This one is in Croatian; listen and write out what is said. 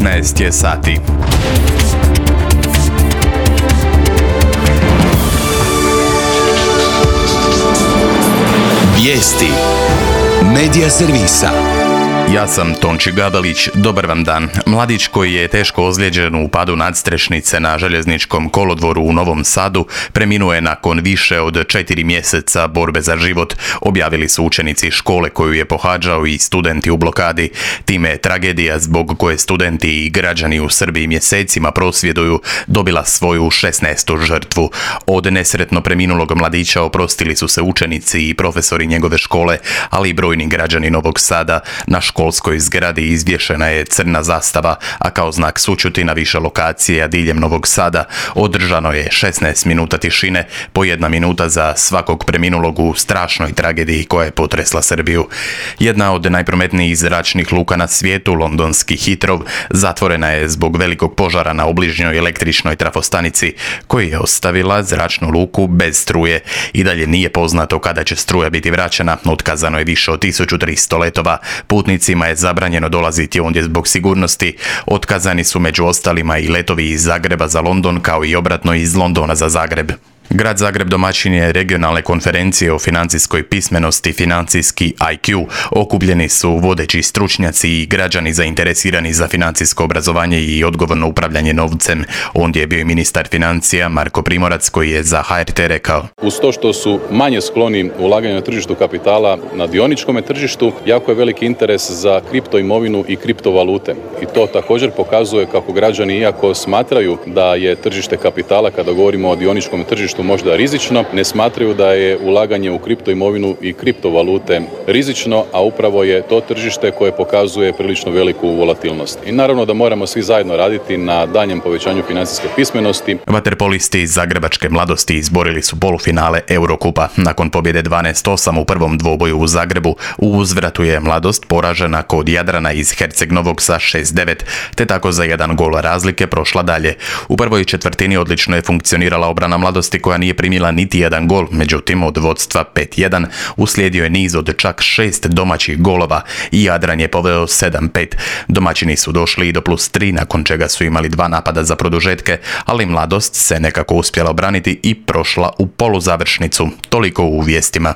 15 je sati. Vijesti Medija servisa. Ja sam Tonči Gabelić, dobar vam dan. Mladić koji je teško ozlijeđen u padu nadstrešnice na željezničkom kolodvoru u Novom Sadu preminuo je nakon više od 4 mjeseca borbe za život, objavili su učenici škole koju je pohađao i studenti u blokadi. Time je tragedija zbog koje studenti i građani u Srbiji mjesecima prosvjeduju dobila svoju 16. žrtvu. Od nesretno preminulog mladića oprostili su se učenici i profesori njegove škole, ali i brojni građani Novog Sada. Na školskoj zgradi izvješena je crna zastava, a kao znak sućuti na više lokacija diljem Novog Sada održano je 16 minuta tišine, po 1 minuta za svakog preminulog u strašnoj tragediji koja je potresla Srbiju. Jedna od najprometnijih zračnih luka na svijetu, londonski Heathrow, zatvorena je zbog velikog požara na obližnjoj električnoj trafostanici, koji je ostavila zračnu luku bez struje. I dalje nije poznato kada će struja biti vraćena, otkazano je više od 1300 letova. Putnicima je zabranjeno dolaziti ondje zbog sigurnosti. Otkazani su među ostalima i letovi iz Zagreba za London, kao i obratno iz Londona za Zagreb. Grad Zagreb domaćin je regionalne konferencije o financijskoj pismenosti, financijski IQ. Okupljeni su vodeći stručnjaci i građani zainteresirani za financijsko obrazovanje i odgovorno upravljanje novcem. Ondje je bio i ministar financija Marko Primorac koji je za HRT rekao: uz to što su manje skloni ulaganju na tržištu kapitala na dioničkom tržištu, jako je veliki interes za kripto imovinu i kriptovalute. I to također pokazuje kako građani, iako smatraju da je tržište kapitala, kada govorimo o dioničkom tržištu, možda rizično, ne smatraju da je ulaganje u kripto imovinu i kriptovalute rizično, a upravo je to tržište koje pokazuje prilično veliku volatilnost. I naravno da moramo svi zajedno raditi na daljnjem povećanju financijske pismenosti. Vaterpolisti iz zagrebačke Mladosti izborili su polufinale Eurokupa. Nakon pobjede 12-8 u prvom dvoboju u Zagrebu, u uzvratu je Mladost poražena kod Jadrana iz Herceg Novog sa 6-9, te tako za 1 gol razlike prošla dalje. U prvoj četvrtini odlično je funkcionirala obrana Mladosti koja nije primila niti 1 gol, međutim od vodstva 5-1 uslijedio je niz od čak 6 domaćih golova i Jadran je poveo 7-5. Domaćini su došli i do +3, nakon čega su imali 2 napada za produžetke, ali Mladost se nekako uspjela obraniti i prošla u poluzavršnicu. Toliko u vijestima.